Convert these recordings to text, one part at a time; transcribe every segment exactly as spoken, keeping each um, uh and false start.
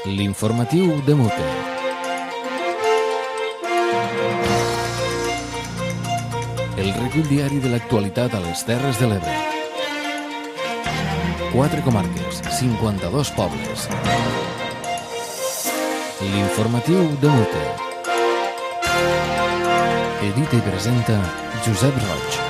L'informatiu de Mute. El recull diari de l'actualitat a les Terres de l'Ebre. Quatre comarques, cinquanta-dos pobles. L'informatiu de Mute. Edita i presenta Josep Roig.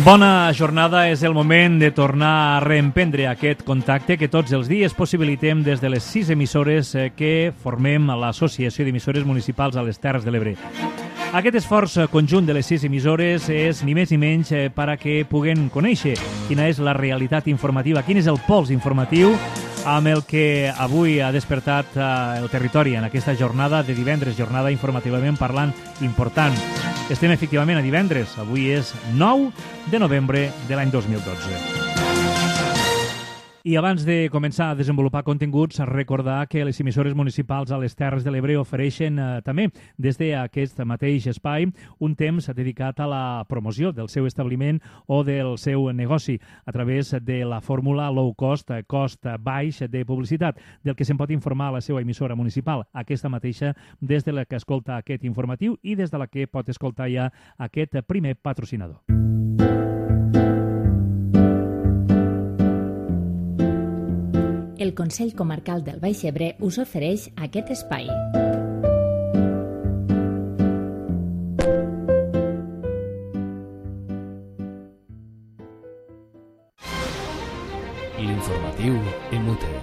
Bona jornada, és el moment de tornar a reemprendre aquest contacte que tots els dies possibilitem des de les sis emissores que formem a l'Associació d'Emissores Municipals a les Terres de l'Ebre. Aquest esforç conjunt de les sis emissores és ni més ni menys per a que puguen conèixer quina és la realitat informativa, quin és el pols informatiu amb el que avui ha despertat el territori en aquesta jornada de divendres, jornada informativament parlant important. Estem efectivament a divendres, avui és nou de novembre de l'any dos mil dotze. I abans de començar a desenvolupar continguts, recordar que les emissores municipals a les Terres de l'Ebre ofereixen eh, també des d'aquest mateix espai un temps dedicat a la promoció del seu establiment o del seu negoci a través de la fórmula low cost, cost baix de publicitat, del que se'n pot informar a la seva emissora municipal, aquesta mateixa des de la que escolta aquest informatiu i des de la que pot escoltar ja aquest primer patrocinador. El Consell Comarcal del Baix Ebre us ofereix aquest espai. L'informatiu en Mute.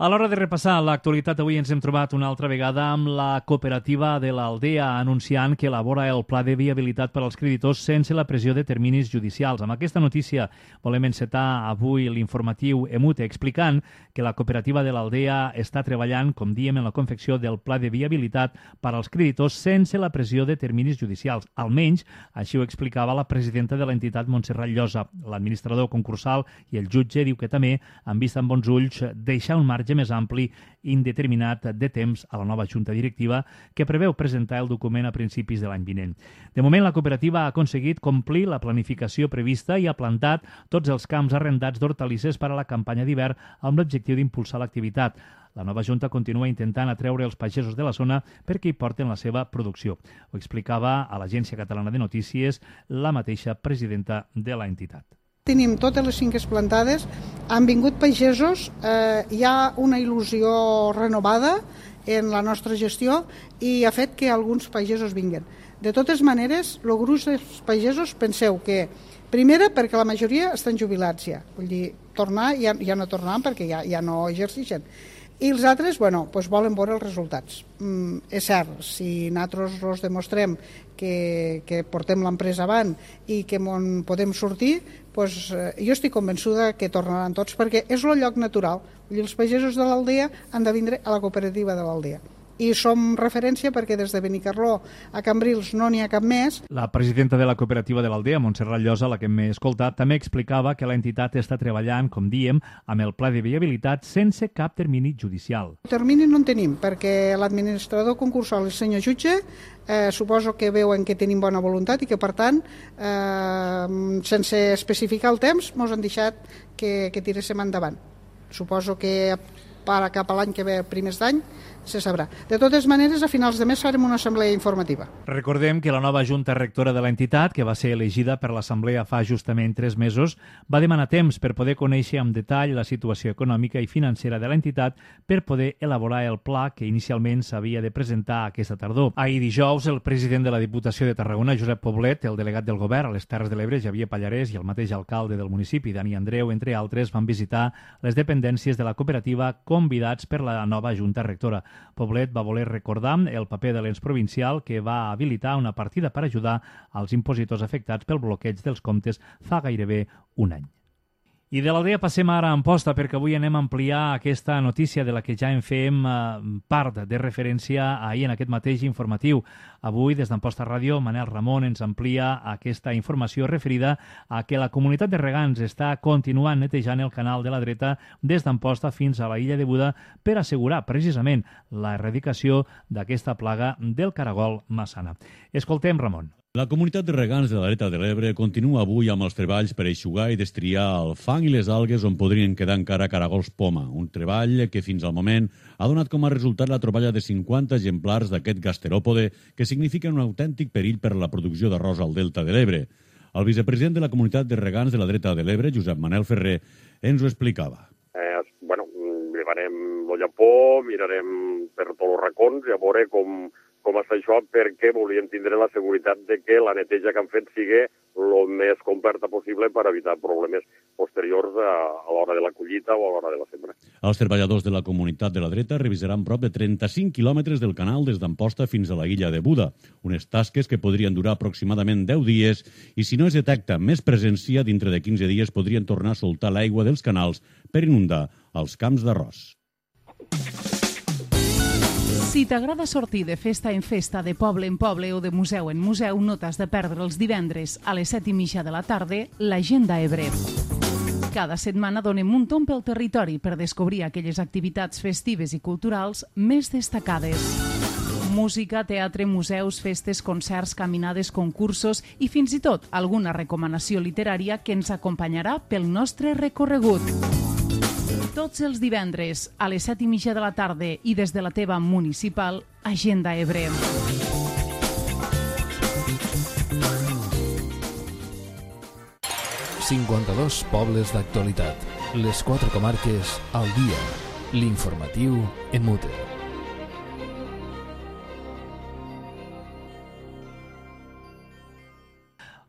A l'hora de repassar l'actualitat, avui ens hem trobat una altra vegada amb la cooperativa de l'Aldea anunciant que elabora el pla de viabilitat per als creditors sense la pressió de terminis judicials. Amb aquesta notícia volem encetar avui l'informatiu Emute explicant que la cooperativa de l'Aldea està treballant, com diem, en la confecció del pla de viabilitat per als creditors sense la pressió de terminis judicials. Almenys, així ho explicava la presidenta de l'entitat, Montserrat Llosa. L'administrador concursal i el jutge diu que també han vist amb bons ulls deixar un marge més ampli indeterminat de temps a la nova junta directiva que preveu presentar el document a principis de l'any vinent. De moment, la cooperativa ha aconseguit complir la planificació prevista i ha plantat tots els camps arrendats d'hortalisses per a la campanya d'hivern amb l'objectiu d'impulsar l'activitat. La nova junta continua intentant atreure els pagesos de la zona perquè hi porten la seva producció. Ho explicava a l'Agència Catalana de Notícies la mateixa presidenta de l'entitat. Tenim totes les finques plantades, han vingut pagesos, eh, hi ha una il·lusió renovada en la nostra gestió i ha fet que alguns pagesos vinguin. De totes maneres, el gruix dels pagesos penseu que, primera, perquè la majoria estan jubilats ja, vull dir, tornar ja, ja no tornaran perquè ja, ja no exerceixen. I els altres, bueno, doncs volen veure els resultats. Mm, és cert, si nosaltres els demostrem que, que portem l'empresa avant i que en podem sortir, doncs, eh, jo estic convençuda que tornaran tots, perquè és el lloc natural. Els pagesos de l'Aldea han de vindre a la cooperativa de l'Aldea. I som referència perquè des de Benicarló a Cambrils no n'hi ha cap més. La presidenta de la cooperativa de l'Aldea, Montserrat Llosa, la que m'he escoltat, també explicava que l'entitat està treballant, com diem, amb el pla de viabilitat sense cap termini judicial. Termini no en tenim, perquè l'administrador concursal, el senyor jutge, eh, suposo que veuen que tenim bona voluntat i que, per tant, eh, sense especificar el temps, ens han deixat que, que tiréssim endavant. Suposo que para cap a l'any que ve, primers d'any, se sabrà. De totes maneres, a finals de mes farem una assemblea informativa. Recordem que la nova junta rectora de l'entitat, que va ser elegida per l'assemblea fa justament tres mesos, va demanar temps per poder conèixer amb detall la situació econòmica i financera de l'entitat per poder elaborar el pla que inicialment s'havia de presentar aquesta tardor. Ahir dijous, el president de la Diputació de Tarragona, Josep Poblet, el delegat del govern a les Terres de l'Ebre, Xavier Pallarès, i el mateix alcalde del municipi, Dani Andreu, entre altres, van visitar les dependències de la cooperativa convidats per la nova junta rectora. Poblet va voler recordar el paper de l'ens provincial que va habilitar una partida per ajudar als impositors afectats pel bloqueig dels comptes fa gairebé un any. I de l'Aldea passem ara a Amposta, perquè avui anem a ampliar aquesta notícia de la que ja en fem eh, part de referència ahir en aquest mateix informatiu. Avui, des d'Amposta Ràdio, Manel Ramon ens amplia aquesta informació referida a que la comunitat de regants està continuant netejant el canal de la dreta des d'Amposta fins a la illa de Buda per assegurar precisament l'erradicació d'aquesta plaga del caragol massana. Escoltem, Ramon. La comunitat de regants de la dreta de l'Ebre continua avui amb els treballs per eixugar i destriar el fang i les algues on podrien quedar encara caragols poma, un treball que fins al moment ha donat com a resultat la troballa de cinquanta exemplars d'aquest gasteròpode que significa un autèntic perill per a la producció d'arròs al delta de l'Ebre. El vicepresident de la comunitat de regants de la dreta de l'Ebre, Josep Manel Ferrer, ens ho explicava. Eh, bueno, llevarem el llapó, mirarem per tots els racons i a veure com... com està això, perquè volíem tindre la seguretat de que la neteja que han fet sigui el més completa possible per evitar problemes posteriors a, a l'hora de la collita o a l'hora de la sembra. Els treballadors de la comunitat de la dreta revisaran prop de trenta-cinc quilòmetres del canal des d'Amposta fins a la illa de Buda, unes tasques que podrien durar aproximadament deu dies i si no es detecta més presència, dintre de quinze dies podrien tornar a soltar l'aigua dels canals per inundar els camps d'arròs. Si t'agrada sortir de festa en festa, de poble en poble o de museu en museu, no t'has de perdre els divendres a les set i mitja de la tarda l'Agenda Ebre. Cada setmana donem un tomb pel territori per descobrir aquelles activitats festives i culturals més destacades. Música, teatre, museus, festes, concerts, caminades, concursos i fins i tot alguna recomanació literària que ens acompanyarà pel nostre recorregut. Tots els divendres a les set i mitja de la tarda i des de la teva municipal, Agenda Ebre. cinquanta-dos pobles d'actualitat. Les quatre comarques al dia. L'informatiu en mute.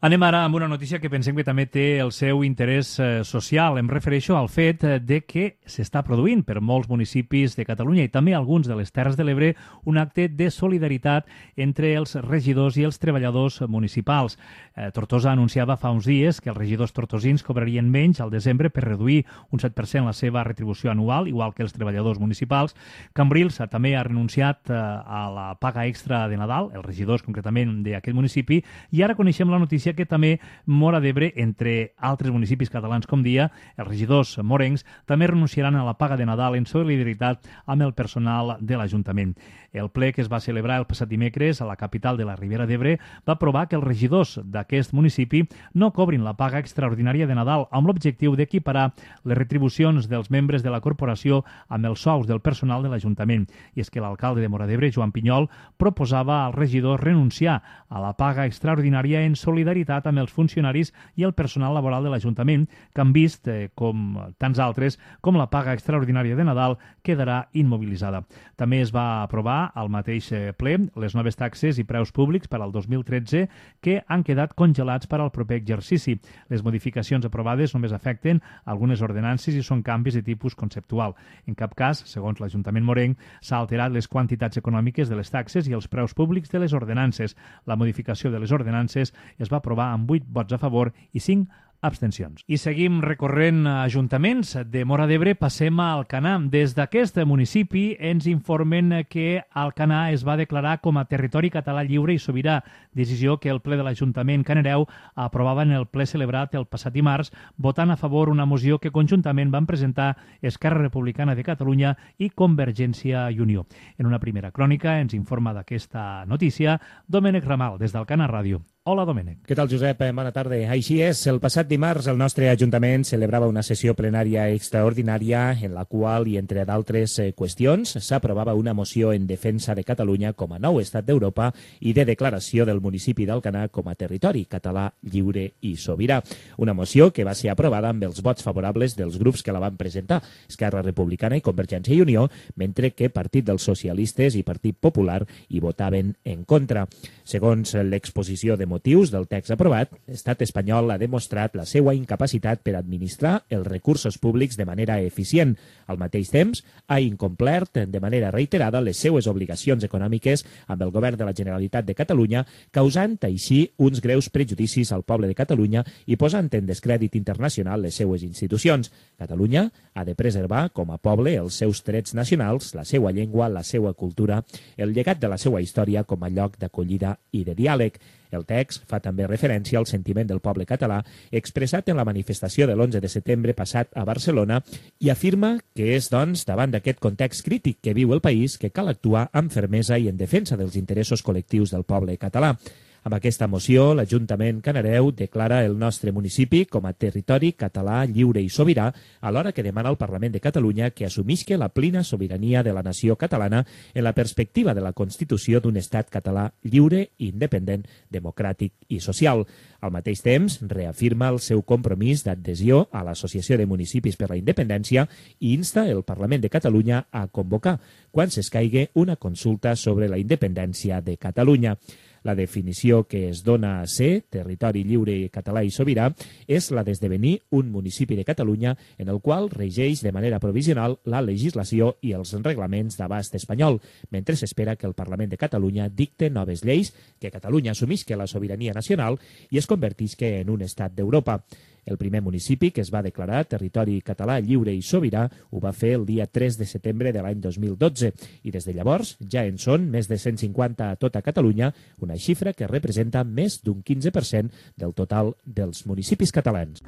Anem ara amb una notícia que pensem que també té el seu interès eh, social. Em refereixo al fet de que s'està produint per molts municipis de Catalunya i també alguns de les Terres de l'Ebre un acte de solidaritat entre els regidors i els treballadors municipals. Eh, Tortosa anunciava fa uns dies que els regidors tortosins cobrarien menys al desembre per reduir un set per cent la seva retribució anual, igual que els treballadors municipals. Cambrils també ha renunciat eh, a la paga extra de Nadal, els regidors concretament d'aquest municipi, i ara coneixem la notícia que també Móra d'Ebre, entre altres municipis catalans com dia, els regidors morencs també renunciaran a la paga de Nadal en solidaritat amb el personal de l'Ajuntament. El ple que es va celebrar el passat dimecres a la capital de la Ribera d'Ebre va aprovar que els regidors d'aquest municipi no cobrin la paga extraordinària de Nadal amb l'objectiu d'equiparar les retribucions dels membres de la corporació amb els sous del personal de l'Ajuntament. I és que l'alcalde de Móra d'Ebre, Joan Pinyol, proposava als regidors renunciar a la paga extraordinària en solidaritat amb els funcionaris i el personal laboral de l'Ajuntament, que han vist, eh, com tants altres, com la paga extraordinària de Nadal quedarà immobilitzada. També es va aprovar al mateix ple les noves taxes i preus públics per al dos mil tretze que han quedat congelats per al proper exercici. Les modificacions aprovades només afecten algunes ordenances i són canvis de tipus conceptual. En cap cas, segons l'Ajuntament morenc, s'ha alterat les quantitats econòmiques de les taxes i els preus públics de les ordenances. La modificació de les ordenances es va aprovar amb vuit vots a favor i cinc abstencions. I seguim recorrent ajuntaments. De Móra d'Ebre passem a Alcanar. Des d'aquest municipi ens informen que Alcanar es va declarar com a territori català lliure i sobirà, decisió que el ple de l'Ajuntament Canereu aprovava en el ple celebrat el passat dimarts, votant a favor una moció que conjuntament van presentar Esquerra Republicana de Catalunya i Convergència i Unió. En una primera crònica ens informa d'aquesta notícia Domènec Ramal, des d'Alcanar Ràdio. Hola, Domènec. Què tal, Josep? Bona tarda. Així és, el passat dimarts el nostre Ajuntament celebrava una sessió plenària extraordinària en la qual, i entre d'altres qüestions, s'aprovava una moció en defensa de Catalunya com a nou estat d'Europa i de declaració del municipi d'Alcanar com a territori català lliure i sobirà. Una moció que va ser aprovada amb els vots favorables dels grups que la van presentar, Esquerra Republicana i Convergència i Unió, mentre que Partit dels Socialistes i Partit Popular hi votaven en contra. Segons l'exposició de motius del text aprovat, l'estat espanyol ha demostrat la seva incapacitat per administrar els recursos públics de manera eficient. Al mateix temps, ha incomplert de manera reiterada les seues obligacions econòmiques amb el govern de la Generalitat de Catalunya, causant així uns greus prejudicis al poble de Catalunya i posant en descrèdit internacional les seues institucions. Catalunya ha de preservar com a poble els seus trets nacionals, la seva llengua, la seva cultura, el llegat de la seva història com a lloc d'acollida i de diàleg. El text fa també referència al sentiment del poble català expressat en la manifestació de l'onze de setembre passat a Barcelona i afirma que és, doncs, davant d'aquest context crític que viu el país que cal actuar amb fermesa i en defensa dels interessos col·lectius del poble català. Amb aquesta moció, l'Ajuntament Canareu declara el nostre municipi com a territori català lliure i sobirà, alhora que demana al Parlament de Catalunya que assumisca la plena sobirania de la nació catalana en la perspectiva de la constitució d'un estat català lliure, independent, democràtic i social. Al mateix temps, reafirma el seu compromís d'adhesió a l'Associació de Municipis per la Independència i insta el Parlament de Catalunya a convocar, quan s'escaigui, una consulta sobre la independència de Catalunya. La definició que es dona a ser territori lliure, català i sobirà és la d'esdevenir un municipi de Catalunya en el qual regeix de manera provisional la legislació i els reglaments d'abast espanyol, mentre s'espera que el Parlament de Catalunya dicte noves lleis, que Catalunya assumisca la sobirania nacional i es convertisca en un estat d'Europa. El primer municipi que es va declarar territori català lliure i sobirà ho va fer el dia tres de setembre de l'any dos mil dotze i des de llavors ja en són més de cent cinquanta a tota Catalunya, una xifra que representa més d'un quinze per cent del total dels municipis catalans.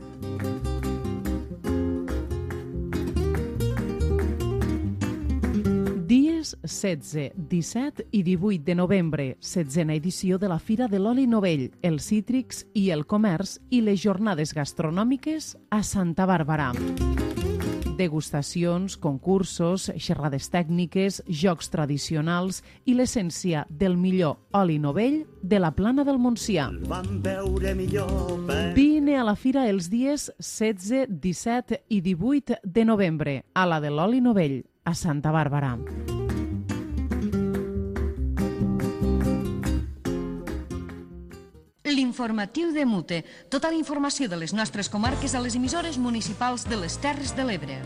Dies setze, disset i divuit de novembre, setzena edició de la Fira de l'Oli Novell, els cítrics i el comerç i les jornades gastronòmiques a Santa Bàrbara. Degustacions, concursos, xerrades tècniques, jocs tradicionals i l'essència del millor oli novell de la Plana del Montsià. Vine a la fira els dies setze, disset i divuit de novembre a la de l'oli novell, a Santa Bàrbara. L'informatiu de Mute. Tota la informació de les nostres comarques a les emissores municipals de les Terres de l'Ebre.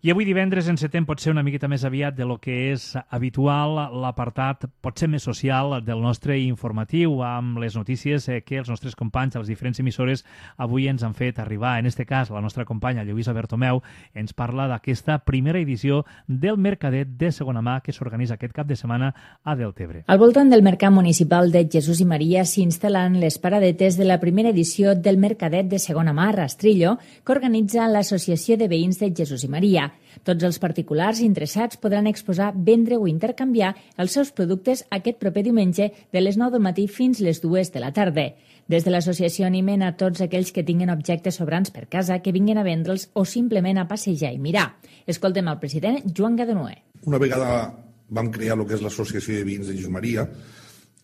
I avui divendres encetem potser una miqueta més aviat de lo que és habitual l'apartat potser més social del nostre informatiu amb les notícies que els nostres companys a les diferents emissores avui ens han fet arribar. En este cas, la nostra companya Lluïsa Bertomeu ens parla d'aquesta primera edició del Mercadet de segona mà que s'organitza aquest cap de setmana a Deltebre. Al voltant del Mercat Municipal de Jesús i Maria s'instal·len les paradetes de la primera edició del Mercadet de segona mà a Rastrillo que organitza l'Associació de Veïns de Jesús i Maria. Tots els particulars interessats podran exposar, vendre o intercanviar els seus productes aquest proper diumenge de les nou del matí fins les dues de la tarda. Des de l'associació animen a tots aquells que tinguin objectes sobrants per casa que vinguin a vendre'ls o simplement a passejar i mirar. Escoltem el president Joan Gadonué. Una vegada vam crear el que és l'Associació de Veïns de Jesús Maria,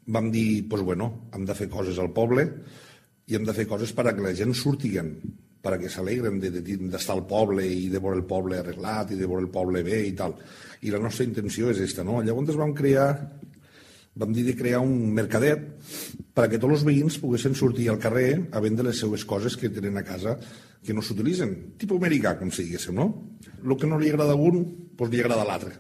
vam dir, doncs bueno, hem de fer coses al poble i hem de fer coses per a que la gent surtiguen, per a que s'alegren d'estar al poble i de veure el poble arreglat i de veure el poble bé i tal. I la nostra intenció és aquesta, no? Llavors vam crear, vam dir de crear un mercadet per a que tots els veïns poguessin sortir al carrer a vendre les seues coses que tenen a casa que no s'utilitzen. Tipus americà, com si diguéssim, no? El que no li agrada a un, doncs li agrada a l'altre.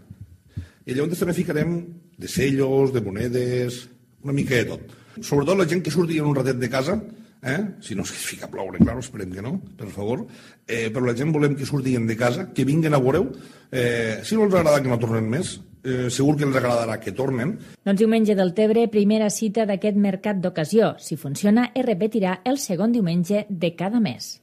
I llavors també ficarem de sellos, de monedes, una mica de tot. Sobretot la gent que surti en un ratet de casa, Eh? si no es fica a ploure, clar, esperem que no, per favor, eh, però la gent volem que surtin de casa, que vinguin a veure-ho, eh, si no els agrada que no tornen més, eh, segur que els agradarà que tornen. Doncs diumenge del Tebre, primera cita d'aquest mercat d'ocasió. Si funciona, es repetirà el segon diumenge de cada mes.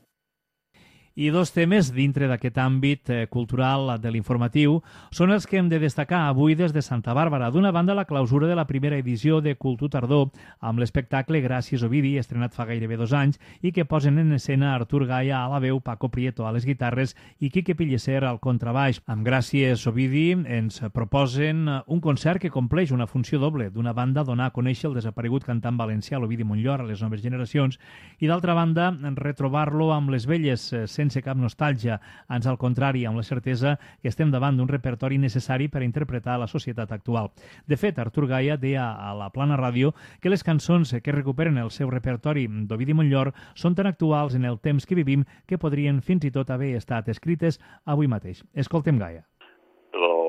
I dos temes dintre d'aquest àmbit eh, cultural de l'informatiu són els que hem de destacar avui des de Santa Bàrbara. D'una banda, la clausura de la primera edició de Cultur Tardor amb l'espectacle Gràcies Ovidi, estrenat fa gairebé dos anys i que posen en escena Artur Gaia a la veu, Paco Prieto a les guitarres i Quique Pilleser al contrabaix. Amb Gràcies Ovidi ens proposen un concert que compleix una funció doble. D'una banda, donar a conèixer el desaparegut cantant valencià l'Ovidi Montllor a les noves generacions i d'altra banda, retrobar-lo amb les velles eh, sense cap nostàlgia, ans al contrari, amb la certesa que estem davant d'un repertori necessari per interpretar la societat actual. De fet, Artur Gaia deia a la Plana Ràdio que les cançons que recuperen el seu repertori d'Ovidi Montllor són tan actuals en el temps que vivim que podrien fins i tot haver estat escrites avui mateix. Escoltem Gaia.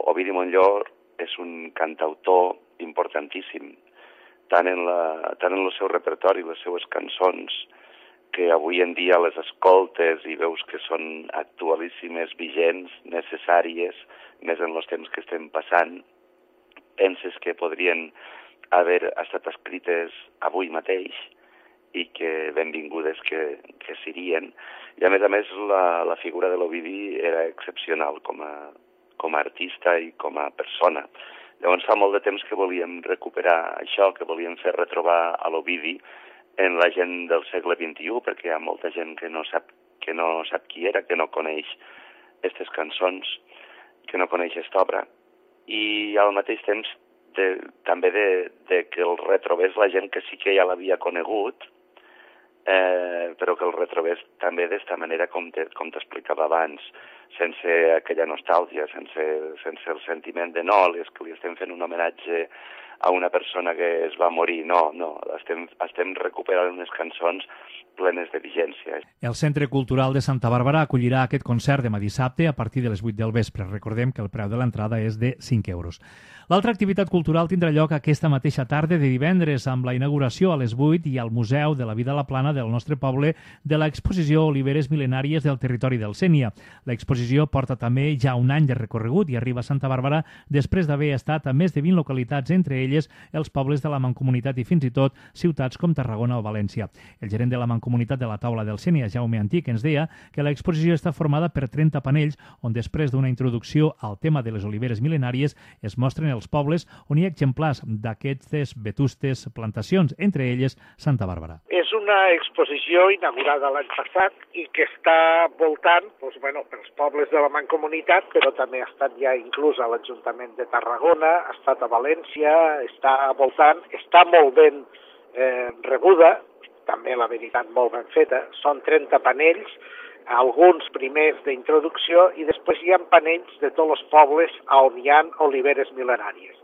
Ovidi Montllor és un cantautor importantíssim, tant en, la, tant en el seu repertori, les seues cançons, que avui en dia les escoltes i veus que són actualíssimes, vigents, necessàries, més en els temps que estem passant, penses que podrien haver estat escrites avui mateix i que benvingudes que, que serien. I a més a més la, la figura de l'Ovidi era excepcional com a, com a artista i com a persona. Llavors fa molt de temps que volíem recuperar això, que volíem fer retrobar a l'Ovidi en la gent del segle vint-i-u, perquè hi ha molta gent que no sap, que no sap qui era, que no coneix aquestes cançons, que no coneix aquesta obra. I al mateix temps de, també de, de que el retrobés la gent que sí que ja l'havia conegut, eh, però que el retrobés també d'esta manera, com t'explicava abans, sense aquella nostàlgia, sense, sense el sentiment de no, és que li estem fent un homenatge a una persona que es va morir. No, no, estem, estem recuperant unes cançons plenes de vigència. El Centre Cultural de Santa Bàrbara acollirà aquest concert demà dissabte a partir de les vuit del vespre. Recordem que el preu de l'entrada és de cinc euros. L'altra activitat cultural tindrà lloc aquesta mateixa tarda de divendres amb la inauguració a les vuit i al Museu de la Vida a la Plana del nostre poble de l'exposició Oliveres Mil·lenàries del territori del Sénia. L'exposició porta també ja un any de recorregut i arriba a Santa Bàrbara després d'haver estat a més de vint localitats, entre elles els pobles de la Mancomunitat i fins i tot ciutats com Tarragona o València. El gerent de la Mancomunitat de la Taula del Sénia, Jaume Antic, ens deia que l'exposició està formada per trenta panells on després d'una introducció al tema de les oliveres mil·lenàries es mostren els pobles on hi ha exemplars d'aquestes vetustes plantacions, entre elles Santa Bàrbara. És una exposició inaugurada l'any passat i que està voltant doncs, bueno, pels pobles de la Mancomunitat, però també ha estat ja inclús a l'Ajuntament de Tarragona, ha estat a València, està voltant, està molt ben eh, rebuda, també la veritat molt ben feta. Són trenta panells, alguns primers d'introducció i després hi ha panells de tots els pobles on hi ha oliveres mil·lenàries.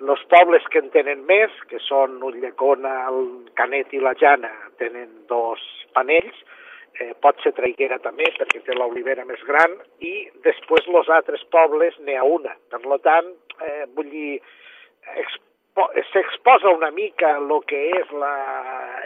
Els pobles que en tenen més, que són Ulldecona, el Canet i la Jana, tenen dos panells, eh, pot ser Traiguera també perquè té l'olivera més gran i després els altres pobles n'hi ha una. Per tant, eh, vull dir, s'exposa una mica el que és la,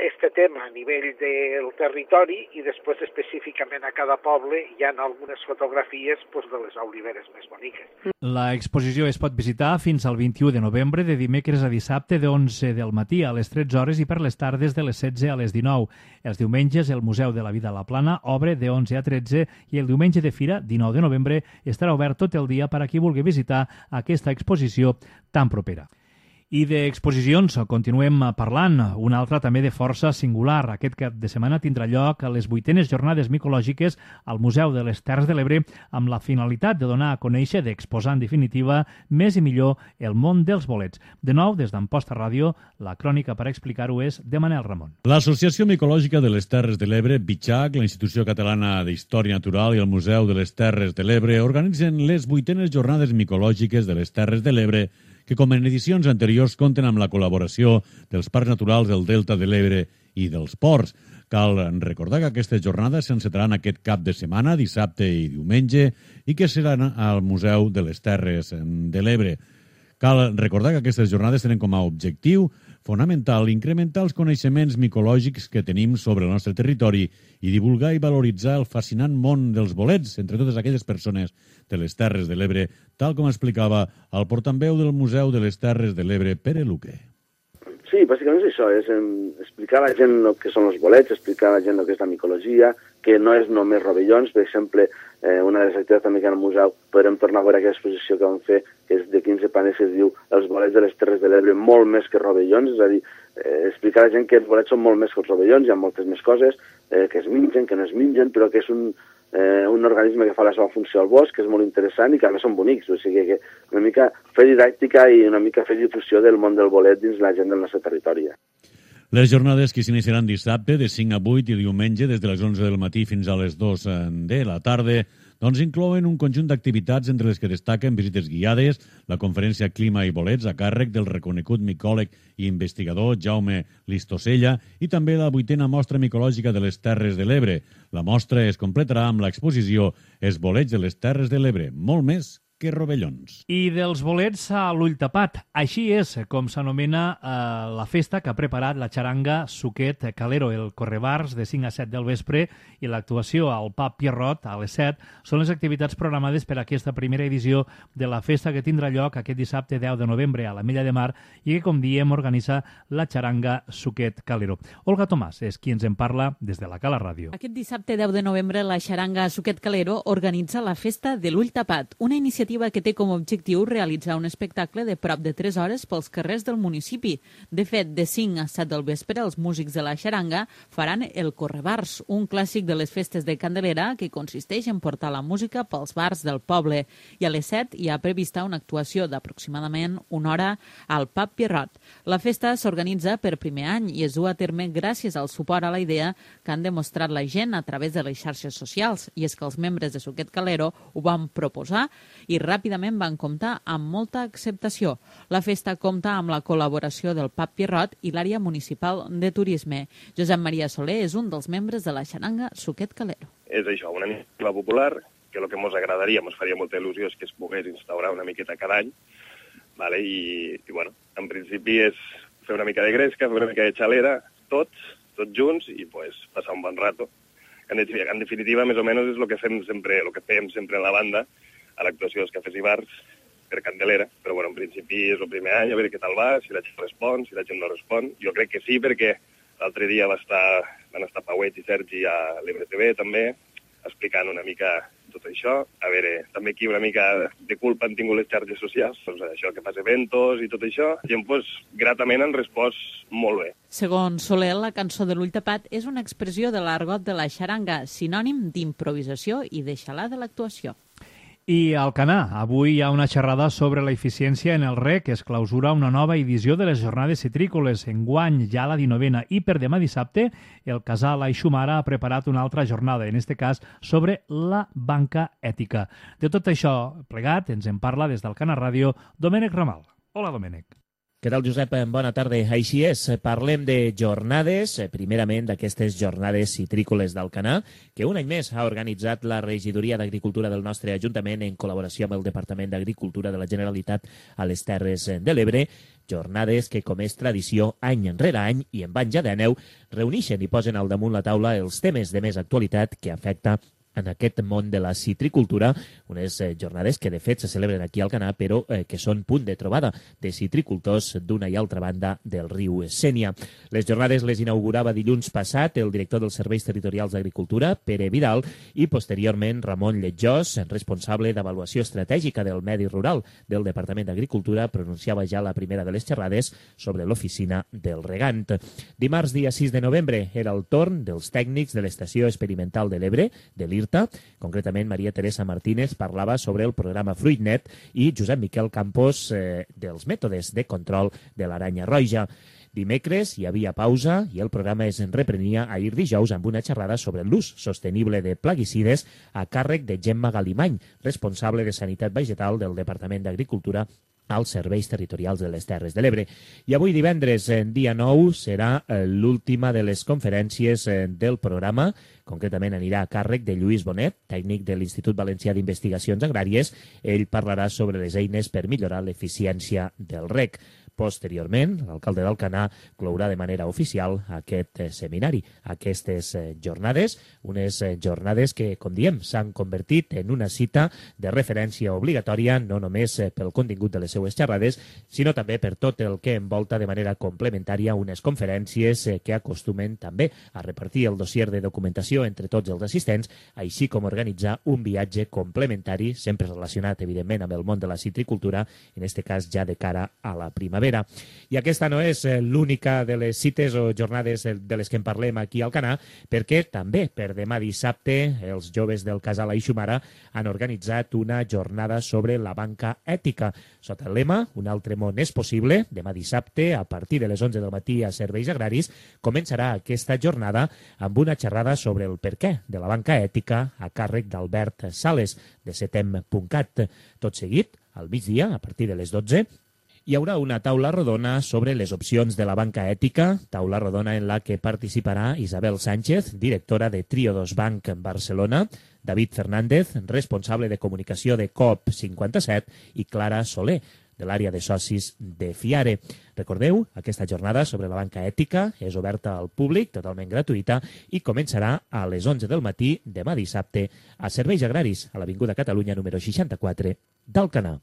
este tema a nivell del territori i després específicament a cada poble hi ha algunes fotografies pues, de les oliveres més boniques. L'exposició es pot visitar fins al vint-i-u de novembre, de dimecres a dissabte de onze del matí a les tretze hores i per les tardes de les setze a les dinou. Els diumenges el Museu de la Vida a la Plana obre de onze a tretze i el diumenge de Fira, dinou de novembre, estarà obert tot el dia per a qui vulgui visitar aquesta exposició tan propera. I d'exposicions continuem parlant. Una altra també de força singular. Aquest cap de setmana tindrà lloc a les vuitenes jornades micològiques al Museu de les Terres de l'Ebre amb la finalitat de donar a conèixer, d'exposar en definitiva més i millor el món dels bolets. De nou, des d'Amposta Ràdio, la crònica per explicar-ho és de Manel Ramon. L'Associació Micològica de les Terres de l'Ebre, BICHAC, la Institució Catalana d'Història Natural i el Museu de les Terres de l'Ebre organitzen les vuitenes jornades micològiques de les Terres de l'Ebre que com en edicions anteriors compten amb la col·laboració dels Parcs Naturals del Delta de l'Ebre i dels Ports. Cal recordar que aquestes jornades s'encetaran aquest cap de setmana, dissabte i diumenge, i que seran al Museu de les Terres de l'Ebre. Cal recordar que aquestes jornades tenen com a objectiu fonamental incrementar els coneixements micològics que tenim sobre el nostre territori i divulgar i valoritzar el fascinant món dels bolets entre totes aquelles persones de les Terres de l'Ebre, tal com explicava el portaveu del Museu de les Terres de l'Ebre, Pere Luque. Sí, bàsicament és això, és explicar a la gent el que són els bolets, explicar a la gent el que és la micologia, que no és només rovellons. Per exemple, eh, una de les activitats també que hi ha al museu, podrem tornar a veure aquella exposició que vam fer, que és de quinze panells, que es diu Els bolets de les Terres de l'Ebre, molt més que rovellons, és a dir, eh, explicar a la gent que els bolets són molt més que els rovellons, hi ha moltes més coses, eh, que es mengen, que no es mengen, però que és un, eh, un organisme que fa la seva funció al bosc, que és molt interessant i que a més són bonics, o sigui que una mica fer didàctica i una mica fer difusió del món del bolet dins la gent del nostre territori. Les jornades que s'iniciaran dissabte de cinc a vuit i diumenge des de les onze del matí fins a les dues de la tarda doncs inclouen un conjunt d'activitats entre les que destaquen visites guiades, la conferència Clima i Bolets a càrrec del reconegut micòleg i investigador Jaume Listosella i també la vuitena mostra micològica de les Terres de l'Ebre. La mostra es completarà amb l'exposició Els bolets de les Terres de l'Ebre, molt més que rovellons. I dels bolets a l'ull tapat. Així és com s'anomena eh, la festa que ha preparat la xaranga Suquet Calero, el correbars de cinc a set del vespre i l'actuació al pub Pierrot a les set són les activitats programades per a aquesta primera edició de la festa que tindrà lloc aquest dissabte deu de novembre a la Mella de Mar i que, com diem, organitza la xaranga Suquet Calero. Olga Tomàs és qui ens en parla des de la Cala Ràdio. Aquest dissabte deu de novembre la xaranga Suquet Calero organitza la festa de l'ull tapat, una iniciativa iniciativa que té com a objectiu realitzar un espectacle de prop de tres hores pels carrers del municipi. De fet, de cinc a set del vespre, els músics de la xaranga faran el Correbars, un clàssic de les festes de Candelera que consisteix en portar la música pels bars del poble. I a les set hi ha prevista una actuació d'aproximadament una hora al Pub Pierrot. La festa s'organitza per primer any i es du a terme gràcies al suport a la idea que han demostrat la gent a través de les xarxes socials. I és que els membres de Suquet Calero ho van proposar i ràpidament van comptar amb molta acceptació. La festa compta amb la col·laboració del Pub Pierrot i l'àrea municipal de turisme. Josep Maria Soler és un dels membres de la xaranga Suquet Calero. És això, una iniciativa popular, que el que ens agradaria, ens faria molta il·lusió és que es pogués instaurar una miqueta cada any, vale? I, i bueno, en principi és fer una mica de gresca, fer una mica de xalera, tots, tots junts, i pues, passar un bon rato. En, en definitiva, més o menys, és el que fem sempre, el que fem sempre en la banda, a l'actuació dels cafès i bars, per Candelera. Però, bueno, en principi és el primer any, a veure què tal va, si la gent respon, si la gent no respon. Jo crec que sí, perquè l'altre dia va estar, van estar Pauet i Sergi a l'Ebre T V, també, explicant una mica tot això. A veure, també aquí una mica de culpa han tingut les xarxes socials, doncs això que fas eventos i tot això. La gent, pues, gratament han respost molt bé. Segons Soler, la cançó de l'Ull Tapat és una expressió de l'argot de la xaranga, sinònim d'improvisació i de xalar de l'actuació. I al Alcanar, avui hi ha una xerrada sobre la eficiència en el reg, que es clausura una nova edició de les jornades citrícoles. Enguany, ja la dinovena, i per demà dissabte, el casal Aixumara ha preparat una altra jornada, en este cas sobre la banca ètica. De tot això plegat, ens en parla des d'Alcanar Ràdio, Domènec Ramal. Hola, Domènec. Què tal, Josep? Bona tarda. Així és, parlem de jornades, primerament d'aquestes jornades citrícoles d'Alcanar, que un any més ha organitzat la Regidoria d'Agricultura del nostre Ajuntament en col·laboració amb el Departament d'Agricultura de la Generalitat a les Terres de l'Ebre. Jornades que, com és tradició, any enrere any i en van ja d'aneu, reuneixen i posen al damunt la taula els temes de més actualitat que afecta en aquest món de la citricultura, unes eh, jornades que de fet se celebren aquí al Alcanar, però eh, que són punt de trobada de citricultors d'una i altra banda del riu Sénia. Les jornades les inaugurava dilluns passat el director dels Serveis Territorials d'Agricultura, Pere Vidal, i posteriorment Ramon Lletjós, responsable d'avaluació estratègica del medi rural del Departament d'Agricultura, pronunciava ja la primera de les xerrades sobre l'oficina del regant. Dimarts, dia sis de novembre, era el torn dels tècnics de l'Estació Experimental de l'Ebre, de l'I R T A. Concretament, Maria Teresa Martínez parlava sobre el programa Fruitnet i Josep Miquel Campos eh, dels mètodes de control de l'aranya roja. Dimecres hi havia pausa i el programa es reprenia ahir dijous amb una xerrada sobre l'ús sostenible de plaguicides a càrrec de Gemma Galimany, responsable de Sanitat Vegetal del Departament d'Agricultura als Serveis Territorials de les Terres de l'Ebre. I avui divendres, en dia nou, serà l'última de les conferències del programa. Concretament anirà a càrrec de Lluís Bonet, tècnic de l'Institut Valencià d'Investigacions Agràries. Ell parlarà sobre les eines per millorar l'eficiència del reg. Posteriorment, l'alcalde d'Alcanar clourà de manera oficial aquest seminari, aquestes jornades, unes jornades que, com diem, s'han convertit en una cita de referència obligatòria, no només pel contingut de les seues xerrades, sinó també per tot el que envolta de manera complementària unes conferències que acostumen també a repartir el dossier de documentació entre tots els assistents, així com organitzar un viatge complementari, sempre relacionat, evidentment, amb el món de la citricultura, en aquest cas ja de cara a la primavera. I aquesta no és l'única de les cites o jornades de les que en parlem aquí al Alcanar, perquè també per demà dissabte els joves del casal Aixumara han organitzat una jornada sobre la banca ètica. Sota el lema Un altre món és possible, demà dissabte, a partir de les onze del matí a Serveis Agraris, començarà aquesta jornada amb una xerrada sobre el perquè de la banca ètica a càrrec d'Albert Sales, de setem punt cat. Tot seguit, al migdia, a partir de les dotze, hi haurà una taula rodona sobre les opcions de la banca ètica, taula rodona en la que participarà Isabel Sánchez, directora de Triodos Bank en Barcelona, David Fernández, responsable de comunicació de Coop cinquanta-set, i Clara Soler, de l'àrea de socis de Fiare. Recordeu, aquesta jornada sobre la banca ètica és oberta al públic, totalment gratuïta, i començarà a les onze del matí demà dissabte a Serveis Agraris, a l'Avinguda Catalunya número seixanta-quatre d'Alcanar.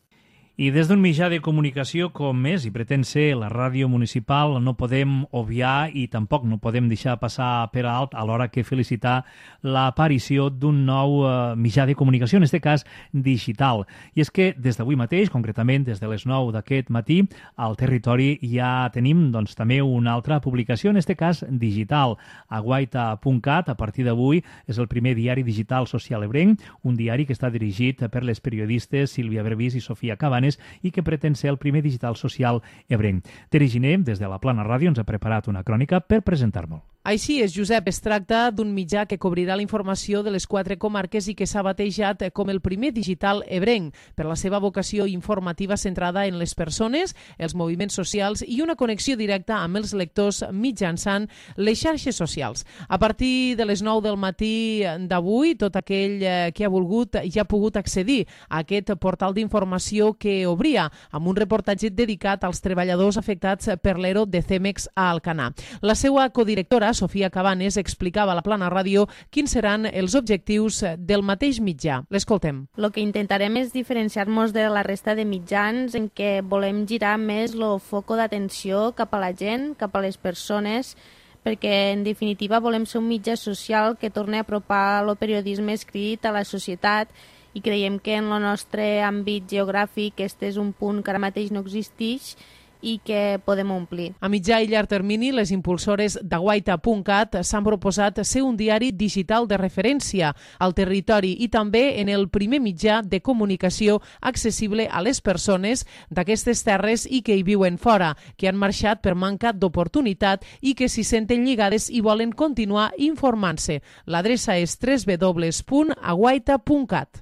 I des d'un mitjà de comunicació com és i pretén ser la ràdio municipal no podem obviar i tampoc no podem deixar passar per alt a l'hora que felicitar l'aparició d'un nou eh, mitjà de comunicació, en aquest cas digital. I és que des d'avui mateix, concretament des de les nou d'aquest matí, al territori ja tenim doncs, també una altra publicació, en aquest cas digital. Aguaita punt cat, a partir d'avui, és el primer diari digital social ebrenc, un diari que està dirigit per les periodistes Sílvia Brevis i Sofia Cabanes i que pretén ser el primer digital social ebrenc. Tere Giner, des de la Plana Ràdio, ens ha preparat una crònica per presentar-nos. Així és, Josep, es tracta d'un mitjà que cobrirà la informació de les quatre comarques i que s'ha batejat com el primer digital ebrenc, per la seva vocació informativa centrada en les persones, els moviments socials i una connexió directa amb els lectors mitjançant les xarxes socials. A partir de les nou del matí d'avui, tot aquell que ha volgut ja ha pogut accedir a aquest portal d'informació que obria amb un reportatge dedicat als treballadors afectats per l'E R O de Cemex a Alcanar. La seva codirectora, Sofia Cabanes, explicava a la Plana Ràdio quins seran els objectius del mateix mitjà. L'escoltem. El que intentarem és diferenciar-nos de la resta de mitjans en què volem girar més el foco d'atenció cap a la gent, cap a les persones, perquè en definitiva volem ser un mitjà social que torni a apropar el periodisme escrit a la societat i creiem que en el nostre àmbit geogràfic aquest és un punt que ara mateix no existeix i que podem omplir. A mitjà i llarg termini, les impulsores d'Aguaita punt cat s'han proposat ser un diari digital de referència al territori i també en el primer mitjà de comunicació accessible a les persones d'aquestes terres i que hi viuen fora, que han marxat per manca d'oportunitat i que s'hi senten lligades i volen continuar informant-se. L'adreça és w w w punt aguaita punt cat.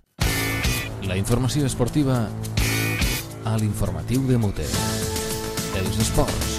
La informació esportiva a l'informatiu de Mute. Els esports.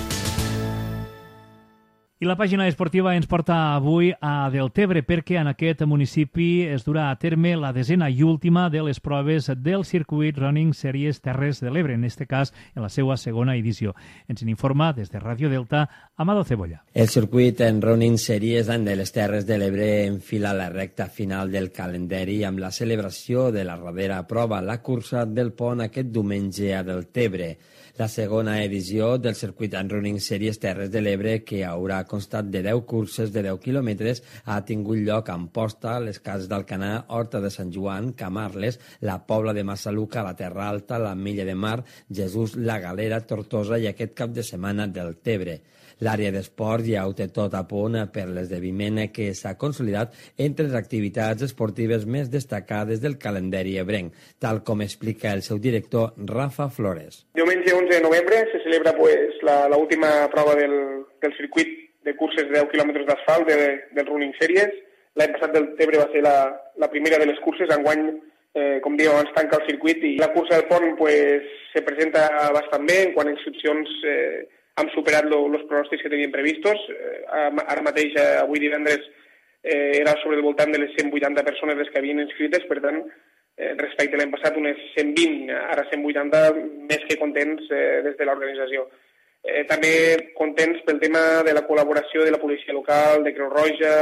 I la pàgina esportiva ens porta avui a Deltebre perquè en aquest municipi es durà a terme la desena i última de les proves del circuit Running Series Terres de l'Ebre, en aquest cas en la seva segona edició. Ens n'informa des de Ràdio Delta Amado Cebolla. El circuit en Running Series de les Terres de l'Ebre enfila la recta final del calendari amb la celebració de la darrera prova, la cursa del pont aquest diumenge a Deltebre. La segona edició del circuit en Running Series Terres de l'Ebre, que haurà constat de deu curses de deu quilòmetres, ha tingut lloc a Amposta, les Cases d'Alcanar, Horta de Sant Joan, Camarles, la Pobla de Massaluca, la Terra Alta, la Milla de Mar, Jesús, la Galera, Tortosa i aquest cap de setmana Deltebre. L'àrea d'esports ja ho té tot a punt per l'esdeveniment que s'ha consolidat entre les activitats esportives més destacades del calendari ebrenc, tal com explica el seu director Rafa Flores. Diumenge onze de novembre se celebra pues, la, la última prova del, del circuit de curses de deu quilòmetres d'asfalt de, del Running Series. L'any passat Deltebre va ser la, la primera de les curses, enguany, eh, com diu, abans tanca el circuit i la cursa del pont pues, se presenta bastant bé, en quant a inscripcions eh, hem superat els pronòstics que teníem previstos. Eh, ara mateix, eh, avui divendres, eh, era sobre el voltant de les cent vuitanta persones les que havien inscrites, per tant, eh, respecte a l'any passat, unes cent vint, ara cent vuitanta, més que contents eh, des de l'organització. Eh, també contents pel tema de la col·laboració de la policia local, de Creu Roja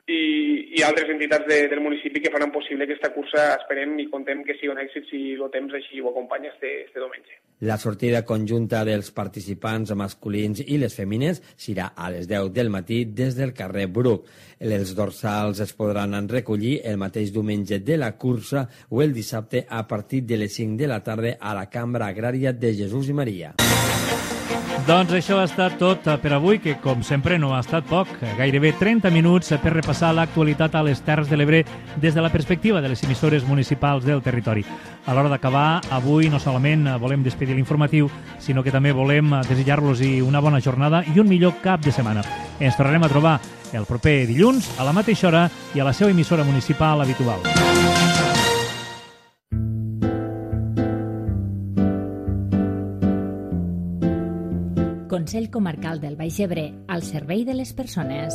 i, i altres entitats de, del municipi que faran possible aquesta cursa. Esperem i contem que sigui un èxit si el temps així ho acompanya este, este diumenge. La sortida conjunta dels participants masculins i les femines serà a les deu del matí des del carrer Bruc. Els dorsals es podran recollir el mateix diumenge de la cursa o el dissabte a partir de les cinc de la tarda a la Cambra Agrària de Jesús i Maria. Doncs això ha estat tot per avui, que com sempre no ha estat poc. Gairebé trenta minuts per repassar l'actualitat a les Terres de l'Ebre des de la perspectiva de les emissores municipals del territori. A l'hora d'acabar, avui no solament volem despedir l'informatiu, sinó que també volem desitjar-los una bona jornada i un millor cap de setmana. Ens tornarem a trobar el proper dilluns a la mateixa hora i a la seva emissora municipal habitual. Consell Comarcal del Baix Ebre, al servei de les persones.